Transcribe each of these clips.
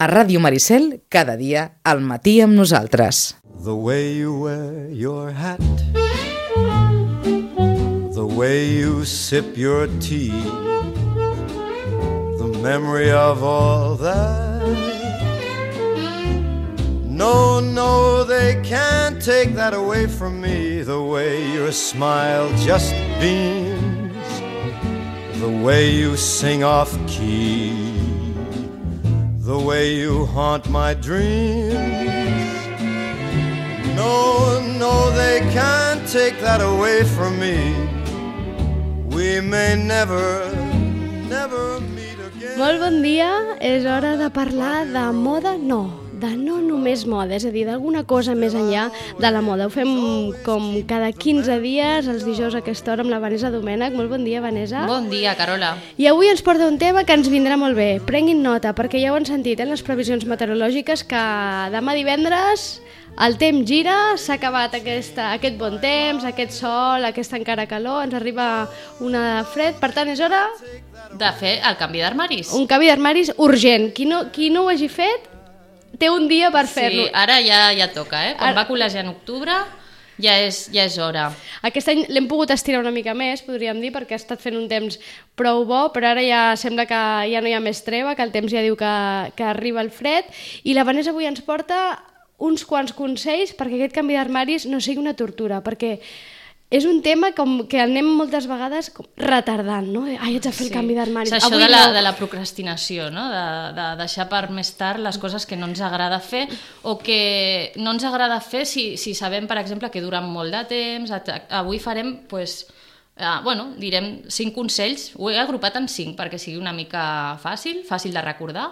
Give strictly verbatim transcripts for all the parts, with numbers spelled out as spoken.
A Ràdio Maricel, cada dia, al matí amb nosaltres. The way you wear your hat, the way you sip your tea, the memory of all that. No, no, they can't take that away from me. The way your smile just beams, the way you sing off key, the way you haunt my dreams. No, no, they can't take that away from me. We may never, never meet again. Molt bon dia, és hora de parlar de moda, no, de no només moda, és a dir, d'alguna cosa més enllà de la moda. Ho fem com cada quinze dies, els dijous a aquesta hora, amb la Vanessa Domènech. Molt bon dia, Vanessa. Bon dia, Carola. I avui ens porta un tema que ens vindrà molt bé. Prenguin nota, perquè ja ho han sentit, eh, les previsions meteorològiques, que demà divendres el temps gira, s'ha acabat aquesta, aquest bon temps, aquest sol, aquesta encara calor, ens arriba una fred, per tant és hora de fer el canvi d'armaris. Un canvi d'armaris urgent. Qui no, qui no ho hagi fet té un dia per fer-lo. Sí, ara ja, ja toca, eh? Quan Ara... va col·legiar en octubre ja és, ja és hora. Aquest any l'hem pogut estirar una mica més, podríem dir, perquè ha estat fent un temps prou bo, però ara ja sembla que ja no hi ha més treva, que el temps ja diu que, que arriba el fred, i la Vanessa avui ens porta uns quants consells perquè aquest canvi d'armaris no sigui una tortura, perquè és un tema com que anem moltes vegades retardant, no? Ai, haig de fer el Sí. canvi d'armaris. És això Avui de la, no. de la procrastinació, no? De, de deixar per més tard les coses que no ens agrada fer o que no ens agrada fer si, si sabem, per exemple, que duren molt de temps. Avui farem, pues, eh, bueno, direm cinc consells. Ho he agrupat en cinc perquè sigui una mica fàcil, fàcil de recordar,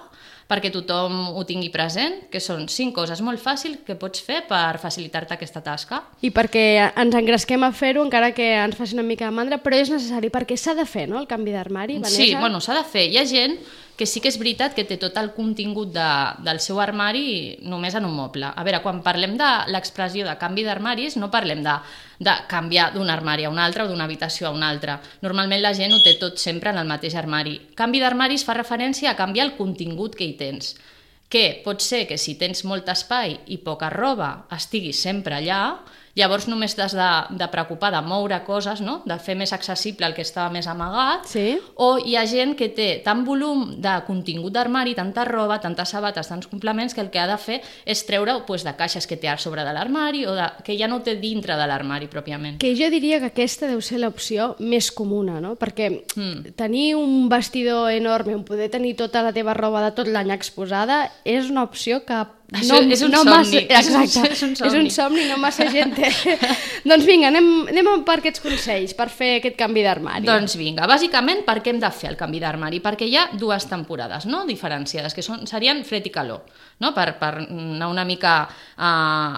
perquè tothom ho tingui present, que són cinc coses molt fàcils que pots fer per facilitar-te aquesta tasca. I perquè ens engresquem a fer-ho, encara que ens faci una mica de mandra, però és necessari, perquè s'ha de fer, no?, el canvi d'armari, Vanessa? Sí, bueno, s'ha de fer. Hi ha gent que sí que és veritat que té tot el contingut de, del seu armari només en un moble. A veure, quan parlem de l'expressió de canvi d'armaris, no parlem de, de canviar d'un armari a un altre o d'una habitació a una altra. Normalment la gent ho té tot sempre en el mateix armari. Canvi d'armaris fa referència a canviar el contingut que hi tens, que pot ser que si tens molt espai i poca roba estigui sempre allà, llavors només t'has de, de preocupar de moure coses, no? De fer més accessible el que estava més amagat, Sí. o hi ha gent que té tant volum de contingut d'armari, tanta roba, tantes sabates, tants complements, que el que ha de fer és treure pues, de caixes que té a sobre de l'armari o de, que ja no té dintre de l'armari pròpiament. Que jo diria que aquesta deu ser l'opció més comuna, no? Perquè Mm. tenir un vestidor enorme on poder tenir tota la teva roba de tot l'any exposada és una opció que Això no, és un no somni. Massa, exacte, És un és un somni. somni, no massa gent té. Doncs vinga, anem, anem per aquests consells per fer aquest canvi d'armari. Doncs vinga, bàsicament per què hem de fer el canvi d'armari? Perquè hi ha dues temporades, no?, diferenciades, que són, serien fred i calor, no?, per, per anar una mica a,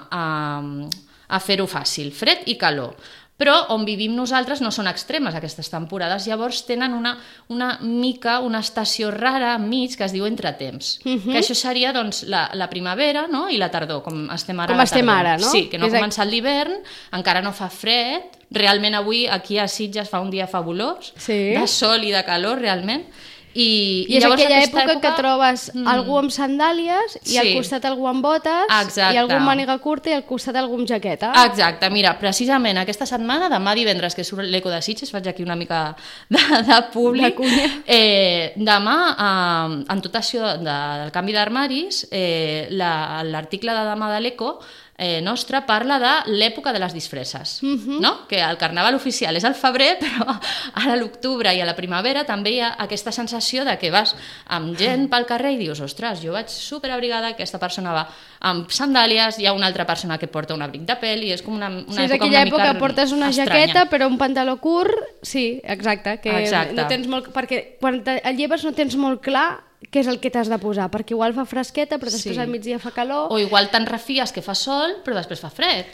a, a fer-ho fàcil, fred i calor. Però on vivim nosaltres no són extremes aquestes temporades, llavors tenen una, una mica, una estació rara enmig que es diu entretemps, Mhm. que això seria doncs, la, la primavera, no?, i la tardor, com estem ara. Com a la estem tardor. ara, no? Sí, que no És ha a- començat l'hivern, encara no fa fred, realment avui aquí a Sitges fa un dia fabulós, Sí. de sol i de calor realment, i, I és llavors aquella aquesta època, que trobes Mm. algú amb sandàlies i al Sí. costat algú amb botes Exacte. i algú amb màniga curta i al costat algú amb jaqueta. Exacte, mira, precisament aquesta setmana, demà divendres, que surt l'Eco de Sitges, faig aquí una mica de, de públic, De cunya. eh, demà, eh, en tot això de, del canvi d'armaris, eh, la- l'article de demà de l'Eco eh, nostre parla de l'època de les disfresses, Mhm. no? Que el carnaval oficial és al febrer, però ara a l'octubre i a la primavera també hi ha aquesta sensació de que vas amb gent pel carrer i dius, ostres, jo vaig superabrigada, aquesta persona va amb sandàlies, hi ha una altra persona que porta un abric de pèl i és com una, una Sí, és època aquella una mica època que portes una estranya. jaqueta però un pantaló curt, sí, exacte, que Exacte. no tens molt, perquè quan te el lleves no tens molt clar què és el que t'has de posar, perquè igual fa fresqueta però després Sí. al migdia fa calor. O igual te'n refies que fa sol, però després fa fred.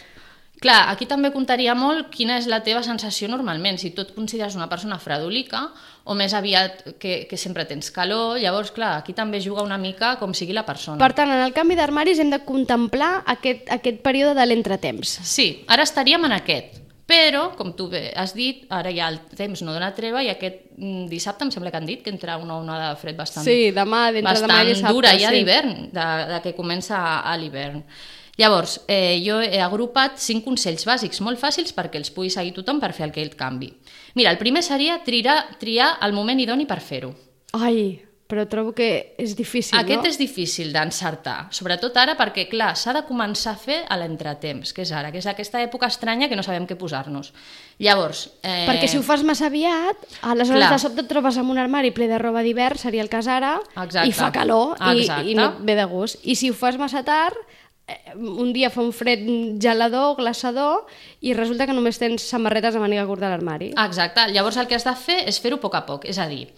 Clar, aquí també comptaria molt quina és la teva sensació normalment, si tu et consideres una persona fredolica o més aviat que, que sempre tens calor, llavors, clar, aquí també juga una mica com sigui la persona. Per tant, en el canvi d'armaris hem de contemplar aquest, aquest període de l'entretemps. Sí, ara estaríem en aquest. Però, com tu bé has dit, ara ja el temps no dona treva i aquest dissabte em sembla que han dit que entra una onada de fred bastant, sí, demà, d'entre demà i dissabte, dura ja sí. d'hivern, de, de que comença a l'hivern. Llavors, eh, jo he agrupat cinc consells bàsics molt fàcils perquè els pugui seguir tothom per fer aquell canvi. Mira, el primer seria triar, triar el moment idoni per fer-ho. Ai, però trobo que és difícil, Aquest no? és difícil d'encertar, sobretot ara perquè, clar, s'ha de començar a fer a l'entretemps, que és ara, que és aquesta època estranya que no sabem què posar-nos. Llavors... Eh... Perquè si ho fas massa aviat, aleshores Clar. de sobte et trobes amb un armari ple de roba d'hivern, seria el cas ara, Exacte. i fa calor i, Exacte. i no et ve de gust. I si ho fas massa tard, un dia fa un fred gelador, glaçador, i resulta que només tens samarretes de màniga curta a l'armari. Exacte, llavors el que has de fer és fer-ho a poc a poc, és a dir,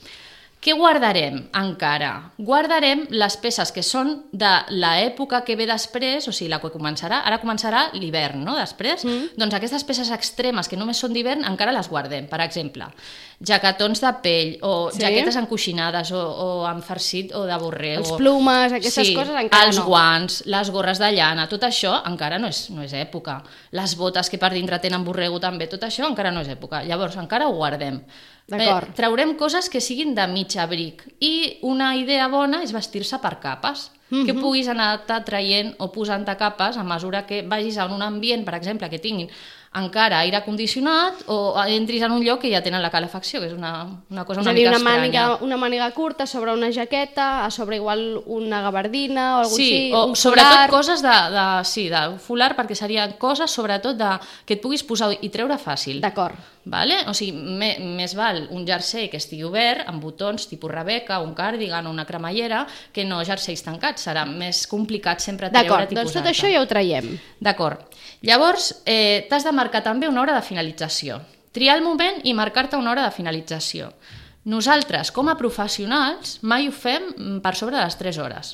què guardarem encara? Guardarem les peces que són de l'època que ve després, o sigui, la que començarà, ara començarà l'hivern, no?, després, mm. doncs aquestes peces extremes que només són d'hivern encara les guardem. Per exemple, jaquetons de pell, o Sí. jaquetes encoixinades, o, o amb farcit o de borrego. Els plumes, aquestes sí, coses encara els no. guants, les gorres de llana, tot això encara no és, no és època. Les botes que per dintre tenen borrego també, tot això encara no és època. Llavors encara ho guardem. D'acord. Eh, traurem coses que siguin de mig abric i una idea bona és vestir-se per capes, mm-hmm. que puguis anar-te traient o posant-te capes a mesura que vagis a un ambient, per exemple, que tinguin encara aire condicionat o entris en un lloc que ja tenen la calefacció, que és una, una cosa una és a dir, mica una estranya. màniga, una màniga curta sobre una jaqueta, a sobre igual una gabardina o alguna Sí, així, o un sobretot folar. coses de, de, sí, de folar, perquè serien coses sobretot de, que et puguis posar i treure fàcil. D'acord. Vale? O sigui, me, més val un jersei que estigui obert, amb botons tipus Rebeca, un cardigan o una cremallera, que no jerseis tancats. Serà més complicat sempre treure't D'acord, i doncs tot posar-te. això ja ho traiem. D'acord. Llavors, eh, t'has de marcar també una hora de finalització. Triar el moment i marcar-te una hora de finalització. Nosaltres, com a professionals, mai ho fem per sobre de les tres hores.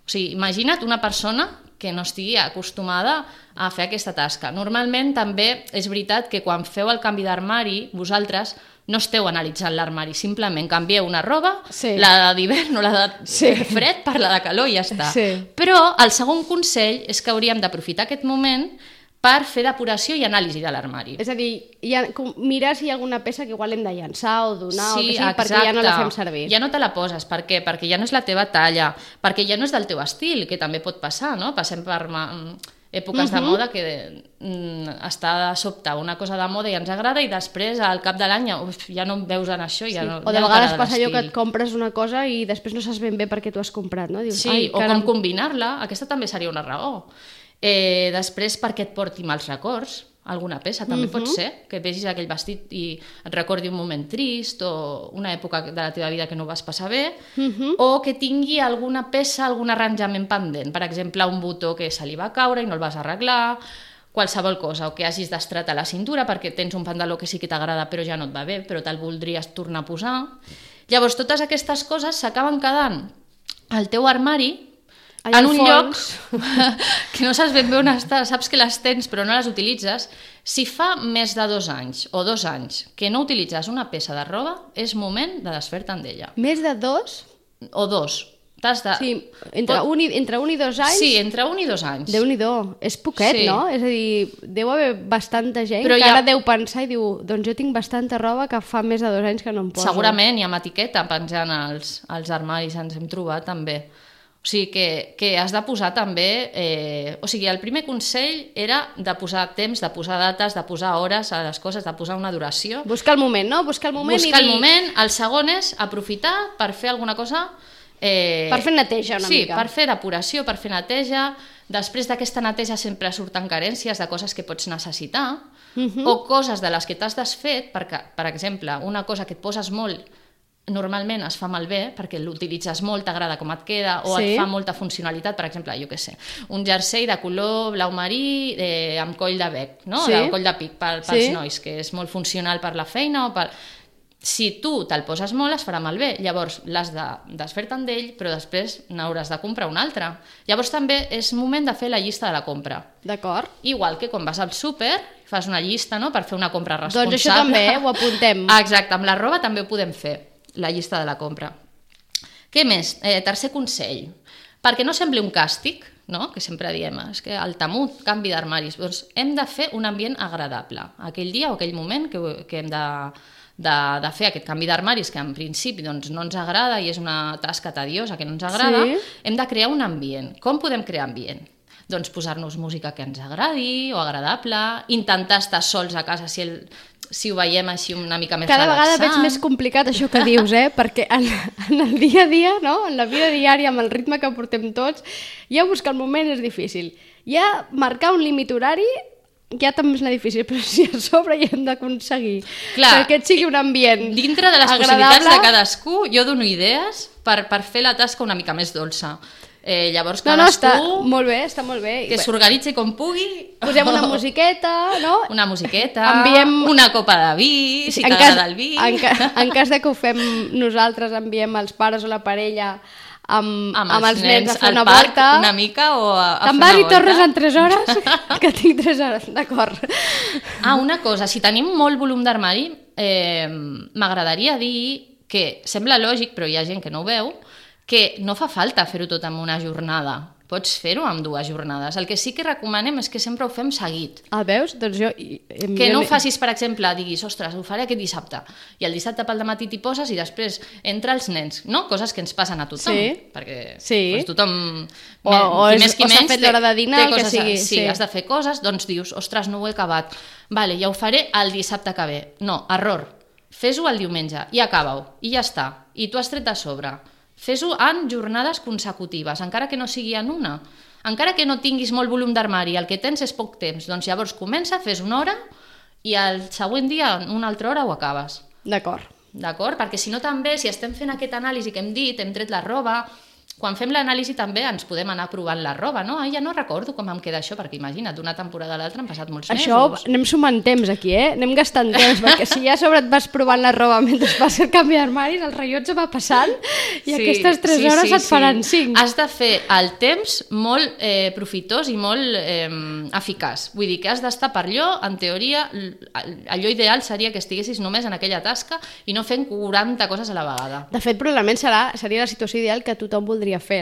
O sigui, imagina't una persona que no estigui acostumada a fer aquesta tasca. Normalment també és veritat que quan feu el canvi d'armari, vosaltres no esteu analitzant l'armari, simplement canvieu una roba, Sí. la d'hivern o la de Sí. fred per la de calor i ja està. Sí. Però el segon consell és que hauríem d'aprofitar aquest moment per fer depuració i anàlisi de l'armari. És a dir, ja, com, mirar si hi ha alguna peça que igual hem de llançar o donar o Sí, que sigui, perquè ja no la fem exacte. servir. Ja no te la poses. Per què? Perquè ja no és la teva talla, perquè ja no és del teu estil, que també pot passar, no? Passem per ma- èpoques de moda que mm, està de sobte una cosa de moda i ens agrada i després al cap de l'any uf, ja no em veus en això. Ja Sí. no, O de ja no vegades t'agrada passa allò que l'estil. et compres una cosa i després no saps ben bé per què t'ho has comprat, no? Dius, Sí, ai, o caram. com combinar-la, aquesta també seria una raó. Eh, després, perquè et porti mals records, alguna peça també uh -huh. pot ser, que vegis aquell vestit i et recordi un moment trist o una època de la teva vida que no vas passar bé, uh -huh. o que tingui alguna peça, algun arranjament pendent, per exemple, un botó que se li va caure i no el vas arreglar, qualsevol cosa, o que hagis d'estratar la cintura perquè tens un pantaló que sí que t'agrada però ja no et va bé, però te'l voldries tornar a posar. Llavors, totes aquestes coses s'acaben quedant al teu armari Allà en al un fons. lloc que no saps ben bé on està, saps que les tens però no les utilitzes. Si fa més de dos anys o dos anys que no utilitzes una peça de roba, és moment de desfer-te'n d'ella. Més de dos? O dos. T'has de... Sí, entre, Pot- un i, entre un i dos anys? Sí, entre un i dos anys. Déu-n'hi-do, és poquet, Sí. no? És a dir, deu haver bastanta gent Però que ja- ara deu pensar i diu, doncs jo tinc bastanta roba que fa més de dos anys que no em poso. Segurament, i amb etiqueta penjant als, als armaris ens hem trobat també. O sigui que, que has de posar també... Eh, o sigui, el primer consell era de posar temps, de posar dates, de posar hores a les coses, de posar una duració. Buscar el moment, no? Buscar el moment Buscar i el dir... moment. El segon és aprofitar per fer alguna cosa... Eh, Per fer neteja una sí, mica. per fer depuració, per fer neteja. Després d'aquesta neteja sempre surten carències de coses que pots necessitar Mhm. o coses de les que t'has desfet, perquè, per exemple, una cosa que et poses molt normalment es fa malbé perquè l'utilitzes molt, t'agrada com et queda o Sí. et fa molta funcionalitat, per exemple, jo què sé, un jersei de color blau marí eh, amb coll de bec, no? Sí. De coll de pic per, pels Sí. nois, que és molt funcional per la feina o per... Si tu te'l poses molt, es farà malbé. Llavors, l'has de desfer-te'n d'ell, però després n'hauràs de comprar un altre. Llavors, també és moment de fer la llista de la compra. D'acord. Igual que quan vas al súper, fas una llista, no?, per fer una compra responsable. Doncs això també, eh? Ho apuntem. Exacte, amb la roba també ho podem fer, la llista de la compra. Què més? Eh, tercer consell. perquè no sembli un càstig, no? Que sempre diem, és que el temut canvi d'armaris, doncs hem de fer un ambient agradable. Aquell dia o aquell moment que, que hem de, de, de fer aquest canvi d'armaris, que en principi doncs, no ens agrada i és una tasca tediosa que no ens agrada, sí. Hem de crear un ambient. Com podem crear ambient? Doncs posar-nos música que ens agradi o agradable, intentar estar sols a casa si, el, si ho veiem així una mica més Cada relaxant. vegada veig més complicat això que dius, eh? Perquè en, en el dia a dia, no? En la vida diària, amb el ritme que portem tots, ja buscar el moment és difícil. Ja marcar un límit horari ja també és difícil, però si a sobre ja hem d'aconseguir que aquest sigui un ambient dintre de les agradable. Possibilitats de cadascú, jo dono idees per, per fer la tasca una mica més dolça. Eh, llavors cadascú... No, no, està molt bé, està molt bé. Que s'organitzi com pugui. Posem una musiqueta, no? Una musiqueta, enviem... una copa de vi, si en t'agrada cas, el vi. En, ca, en cas de que ho fem nosaltres, enviem els pares o la parella amb, amb, els, amb els nens, nens a fer una parc, volta. Una mica o a, a Te'n fer una vas i volta. tornes en tres hores? Que tinc tres hores, d'acord. Ah, una cosa, si tenim molt volum d'armari, eh, m'agradaria dir que sembla lògic, però hi ha gent que no ho veu, que no fa falta fer-ho tot en una jornada. Pots fer-ho en dues jornades. El que sí que recomanem és que sempre ho fem seguit. Ah, veus? Doncs jo... Que no ho facis, per exemple, diguis, ostres, ho faré aquest dissabte. I el dissabte pel dematí t'hi poses i després entra els nens, no? Coses que ens passen a tothom. Sí. Perquè sí. Doncs, tothom... O, o, qui és, més, qui o s'ha menys, fet l'hora de dinar, el que coses, sigui. Sí, sí, has de fer coses, doncs dius, ostres, no ho he acabat. Vale, ja ho faré el dissabte que ve. No, error. Fes-ho el diumenge i acaba-ho. I ja està. I tu has tret a sobre. Fes-ho en jornades consecutives, encara que no sigui en una. Encara que no tinguis molt volum d'armari, el que tens és poc temps, doncs llavors comença, fes una hora i el següent dia, una altra hora, ho acabes. D'acord. D'acord? Perquè si no també, si estem fent aquest anàlisi que hem dit, hem tret la roba, quan fem l'anàlisi també ens podem anar provant la roba, no? Ah, ja no recordo com em queda això, perquè imagina't, d'una temporada a l'altra han passat molts mesos. Això anem sumant temps aquí, eh? Anem gastant temps, perquè si ja a sobre et vas provant la roba mentre fas el canvi d'armaris, el rellotge va passant i sí, aquestes tres sí, hores sí, et faran sí. cinc. Has de fer el temps molt eh, profitós i molt eh, eficaç. Vull dir que has d'estar per allò, en teoria, allò ideal seria que estiguessis només en aquella tasca i no fent quaranta coses a la vegada. De fet, probablement serà, seria la situació ideal que tothom voldria fer.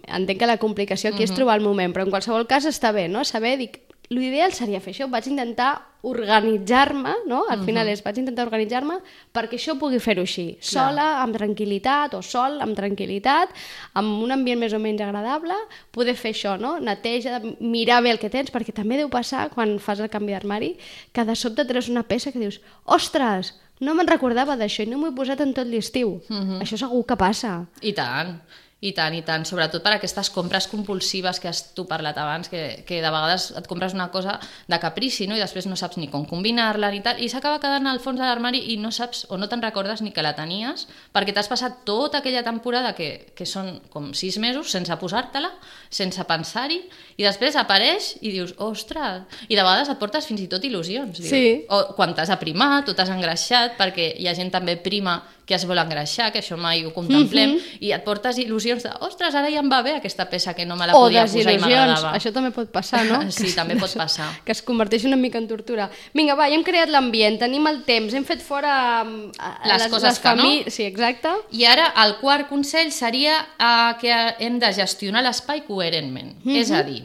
Entenc que la complicació aquí uh-huh. és trobar el moment, però en qualsevol cas està bé, no? Saber, dic, l'ideal seria fer això, vaig intentar organitzar-me, no? Al uh-huh. final és, vaig intentar organitzar-me perquè això pugui fer-ho així, sola, Clar. amb tranquil·litat, o sol, amb tranquil·litat, amb un ambient més o menys agradable, poder fer això, no? Neteja, mirar bé el que tens, perquè també deu passar, quan fas el canvi d'armari, que de sobte treus una peça que dius, ostres, no me'n recordava d'això i no m'ho he posat en tot l'estiu. Uh-huh. Això segur que passa. I tant. I tant, i tant, sobretot per aquestes compres compulsives que has tu parlat abans, que, que de vegades et compres una cosa de caprici, no? I després no saps ni com combinar-la ni tal, i s'acaba quedant al fons de l'armari i no saps o no te'n recordes ni que la tenies, perquè t'has passat tota aquella temporada, que, que són com sis mesos, sense posar-te-la, sense pensar-hi, i després apareix i dius, ostres, i de vegades et portes fins i tot il·lusions. Dius. Sí. O quan t'has aprimat o t'has engreixat, perquè hi ha gent també prima que es vol engreixar, que això mai ho contemplem, mm-hmm. i et portes il·lusions de, ostres, ara ja em va bé aquesta peça que no me la podia posar i m'agradava. Això també pot passar, no? Sí, que també es, pot passar. Que es converteix una mica en tortura. Vinga, va, ja hem creat l'ambient, tenim el temps, hem fet fora les, les coses les que famí... no. Sí, exacte. I ara el quart consell seria uh, que hem de gestionar l'espai coherentment. Mm-hmm. És a dir,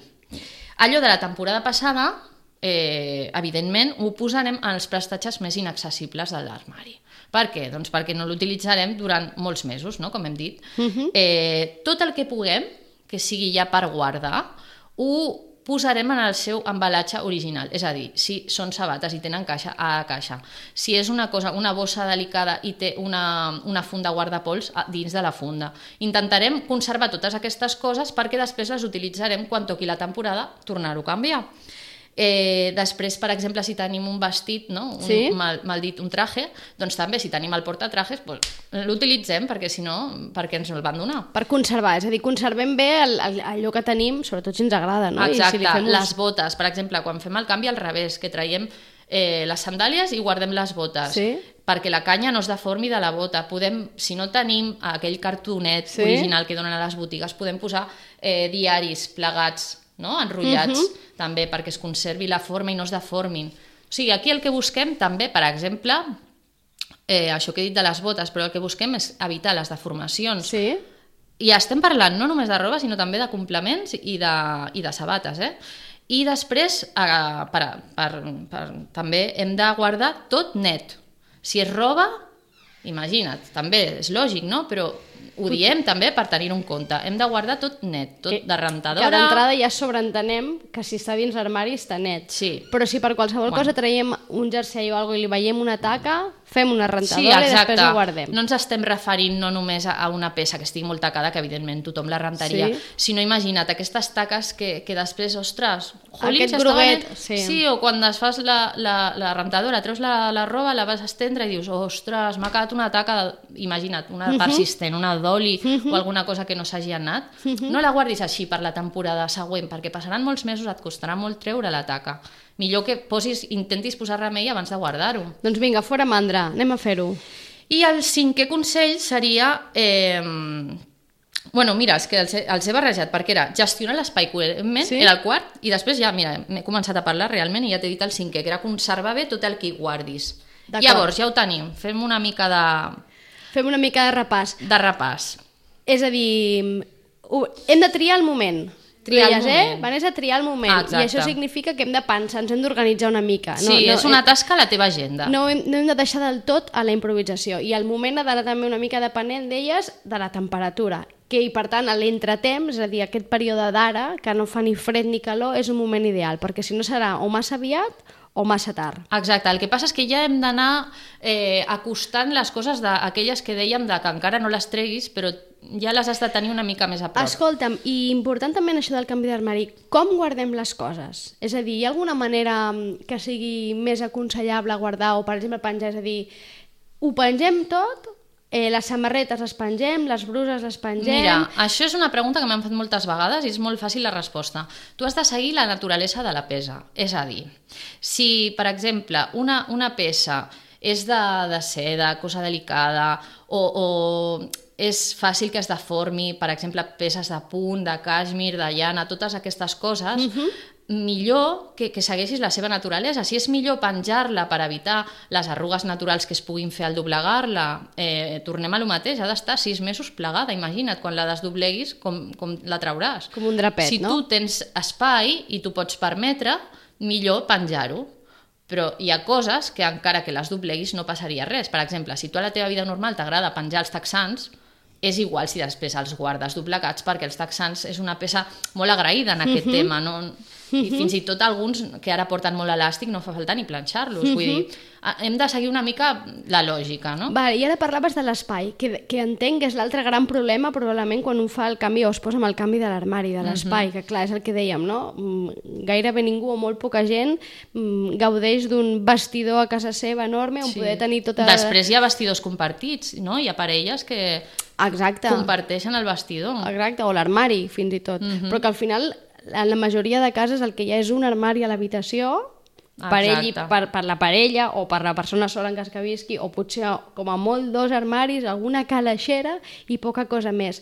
allò de la temporada passada, eh, evidentment, ho posarem en els prestatges més inaccessibles de l'armari. Per què? Doncs perquè no l'utilitzarem durant molts mesos, no? Com hem dit. Uh-huh. Eh, tot el que puguem, que sigui ja per guardar, ho posarem en el seu embalatge original. És a dir, si són sabates i tenen caixa, a caixa. Si és una cosa, una bossa delicada i té una, una funda guardapols dins de la funda. Intentarem conservar totes aquestes coses perquè després les utilitzarem quan toqui la temporada, tornar-ho a canviar. Eh, després, per exemple, si tenim un vestit, no? un, sí? mal, mal dit un traje, doncs també si tenim el portatrajes pues, l'utilitzem perquè si no, perquè ens el van donar. Per conservar, és a dir, conservem bé el, el, allò que tenim, sobretot si ens agrada, no? Exacte, I si fem uns... les botes, per exemple, quan fem el canvi al revés, que traiem eh, les sandàlies i guardem les botes, sí? perquè la canya no es deformi de la bota. Podem, si no tenim aquell cartonet sí? original que donen a les botigues, podem posar eh, diaris plegats, no? Enrotllats, uh-huh. també perquè es conservi la forma i no es deformin. O sigui, aquí el que busquem també, per exemple, eh, això que he dit de les botes, però el que busquem és evitar les deformacions sí? I estem parlant no només de roba, sinó també de complements i de, i de sabates, eh? I després, eh, per, per, per, també hem de guardar tot net. Si és roba, imagina't, també és lògic, no? Però ho diem també per tenir-ho en compte. Hem de guardar tot net, tot que, de rentadora... Que d'entrada ja sobreentenem que si està dins l'armari està net. Sí. Però si per qualsevol bueno. cosa traiem un jersei o alguna cosa i li veiem una taca, fem una rentadora sí, i després ho guardem. No ens estem referint no només a una peça que estigui molt tacada, que evidentment tothom la rentaria, sí. sinó imagina't aquestes taques que, que després, ostres, jolín, aquest groguet, sí. sí. sí, o quan es fas la, la, la rentadora, treus la, la roba, la vas a estendre i dius, ostres, m'ha quedat una taca, imagina't, una uh -huh. persistent, una d'oli uh -huh. o alguna cosa que no s'hagi anat, uh -huh. no la guardis així per la temporada següent, perquè passaran molts mesos, et costarà molt treure la taca. Millor que posis, intentis posar remei abans de guardar-ho. Doncs vinga, fora mandra, anem a fer-ho. I el cinquè consell seria... Eh, bueno, mira, és que els he, els he barrejat, perquè era gestionar l'espai coherentment, sí? Era el quart, i després ja, mira, m'he començat a parlar realment i ja t'he dit el cinquè, que era conservar bé tot el que hi guardis. Llavors, ja ho tenim, fem una mica de... Fem una mica de repàs. De repàs. És a dir, hem de triar el moment. Triar Deies, el moment. Eh? Vanessa, triar el moment. Ah, i això significa que hem de pensar, ens hem d'organitzar una mica. Sí, no, no, és una tasca a la teva agenda. No hem, no hem de deixar del tot a la improvisació. I el moment ha d'anar també una mica depenent d'elles de la temperatura. Que, i per tant, l'entretemps, és a dir, aquest període d'ara, que no fa ni fred ni calor, és un moment ideal, perquè si no serà o massa aviat o massa tard. Exacte, el que passa és que ja hem d'anar eh, acostant les coses d'aquelles que dèiem de que encara no les treguis, però ja les has de tenir una mica més a prop. Escolta'm, i important també en això del canvi d'armari, com guardem les coses? És a dir, hi ha alguna manera que sigui més aconsellable guardar o, per exemple, penjar? És a dir, ho pengem tot? Eh, les samarretes les pengem, les bruses les pengem... Mira, això és una pregunta que m'han fet moltes vegades i és molt fàcil la resposta. Tu has de seguir la naturalesa de la peça. És a dir, si, per exemple, una, una peça és de, de seda, cosa delicada, o, o és fàcil que es deformi, per exemple, peces de punt, de cashmere, de llana, totes aquestes coses... Uh-huh. Millor que, que segueixis la seva naturalesa. Si és millor penjar-la per evitar les arrugues naturals que es puguin fer al doblegar-la, eh, tornem a lo mateix, ha d'estar sis mesos plegada, imagina't, quan la desdobleguis com, com la trauràs. Com un drapet, si no? Si tu tens espai i tu pots permetre, millor penjar-ho. Però hi ha coses que encara que les dobleguis no passaria res. Per exemple, si tu a la teva vida normal t'agrada penjar els texans, és igual si després els guardes doblegats, perquè els texans és una peça molt agraïda en aquest uh-huh. tema, no? I uh-huh. fins i tot alguns que ara porten molt elàstic no fa falta ni planxar-los, uh-huh. vull dir, hem de seguir una mica la lògica, no? Vale, i ara parlaves de l'espai, que, que entenc que és l'altre gran problema probablement quan un fa el canvi o es posa amb el canvi de l'armari, de l'espai, uh-huh. que clar, és el que dèiem, no? Gairebé ningú o molt poca gent gaudeix d'un vestidor a casa seva enorme on sí. poder tenir tota... Després hi ha vestidors compartits, no? Hi ha parelles que... Exacte. Comparteixen el vestidor. Exacte, o l'armari, fins i tot. Uh-huh. Però que al final, en la majoria de cases, el que hi ha és un armari a l'habitació per ell i per, per la parella o per la persona sola en cas que visqui, o potser com a molt dos armaris, alguna calaixera i poca cosa més.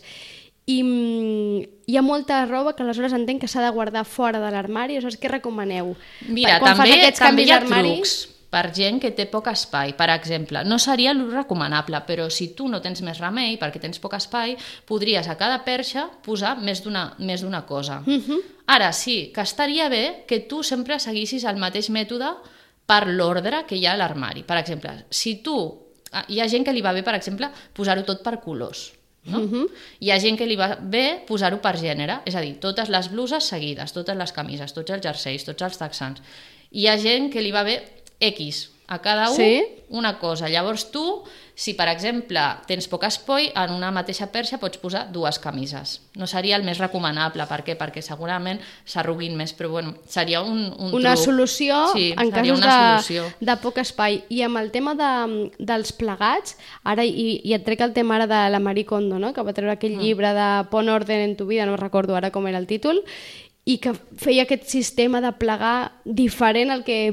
I mm, hi ha molta roba que aleshores entenc que s'ha de guardar fora de l'armari. Aleshores, què recomaneu? Mira, quan també, fas aquests també hi ha d'armari... trucs per gent que té poc espai. Per exemple, no seria el recomanable, però si tu no tens més remei, perquè tens poc espai, podries a cada perxa posar més d'una més d'una cosa. Uh-huh. Ara, sí, que estaria bé que tu sempre seguissis el mateix mètode per l'ordre que hi ha a l'armari. Per exemple, si tu... Hi ha gent que li va bé, per exemple, posar-ho tot per colors. No? Uh-huh. Hi ha gent que li va bé posar-ho per gènere, és a dir, totes les bluses seguides, totes les camises, tots els jerseis, tots els texans. Hi ha gent que li va bé X, a cada un sí? una cosa. Llavors tu, si per exemple tens poc espai, en una mateixa perxa pots posar dues camises. No seria el més recomanable. Per què? Perquè segurament s'arruguin més, però bueno, seria un, un una truc. Solució sí, en casos de, de poc espai. I amb el tema de, dels plegats, ara, i, i et trec el tema ara de la Marie Kondo, no? Que va treure aquell mm. llibre de Pon orden en tu vida, no recordo ara com era el títol, i que feia aquest sistema de plegar diferent al que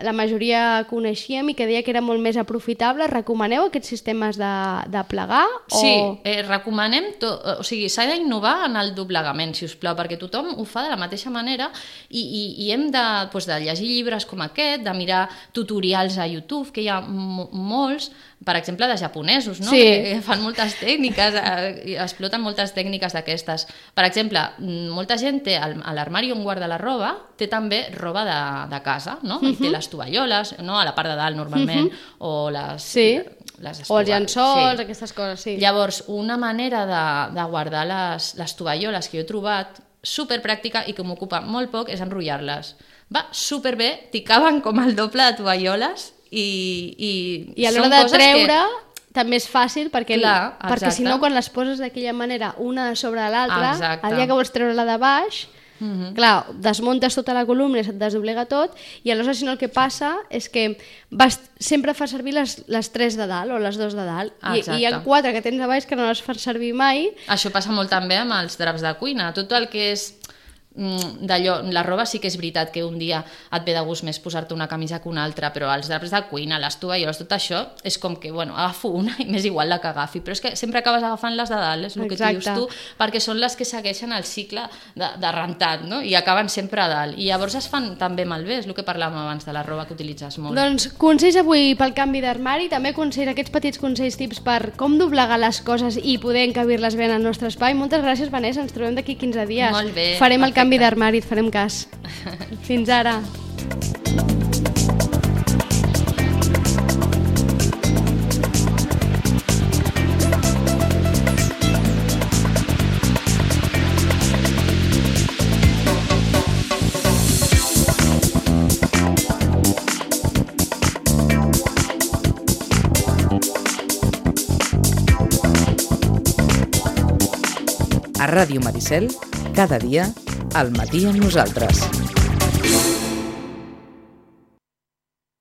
la majoria coneixíem i que deia que era molt més aprofitable. Recomaneu aquests sistemes de, de plegar? O... Sí, eh, recomanem, to, o sigui, s'ha d'innovar en el doblegament, si us plau, perquè tothom ho fa de la mateixa manera i, i, i hem de, doncs, de llegir llibres com aquest, de mirar tutorials a YouTube, que hi ha molts, per exemple, de japonesos, no? Sí. Que fan moltes tècniques, eh, exploten moltes tècniques d'aquestes. Per exemple, molta gent té a l'armari on guarda la roba, té també roba de, de casa, no? Uh-huh. I té les tovalloles, no? A la part de dalt normalment, uh-huh. o les... Sí. les o els llençols, sí. aquestes coses, sí. Llavors, una manera de, de guardar les, les tovalloles que jo he trobat superpràctica i que m'ocupa molt poc és enrotllar-les. Va superbé, t'hi caben com el doble de tovalloles i, i, I a l'hora de treure que... també és fàcil perquè, Clar, perquè si no quan les poses d'aquella manera una sobre l'altra, el dia que vols treure-la de baix, mm-hmm. clar, desmuntes tota la columna i se't desdoblega tot i aleshores si no el que passa és que vas, sempre fas servir les, les tres de dalt o les dos de dalt i, i hi ha quatre que tens a baix que no les fas servir mai. Això passa molt també amb els draps de cuina, tot el que és d'allò, la roba sí que és veritat que un dia et ve de gust més posar-te una camisa que una altra, però els draps de cuina, les tovalloles, tot això és com que, bueno, agafo una i m'és igual la que agafi, però és que sempre acabes agafant les de dalt, és el que dius tu, perquè són les que segueixen el cicle de, de rentat, no? I acaben sempre a dalt, i llavors es fan també malbé, és el que parlàvem abans de la roba que utilitzes molt. Doncs consells avui pel canvi d'armari, també consells, aquests petits consells, tips per com doblegar les coses i poder encabir-les bé en el nostre espai. Moltes gràcies, Vanessa, ens trobem d'aquí quinze dies. Molt bé, farem perfecte. El canvi d'armari, et farem cas. Fins ara. A Ràdio Maricel, cada dia, al matí amb nosaltres.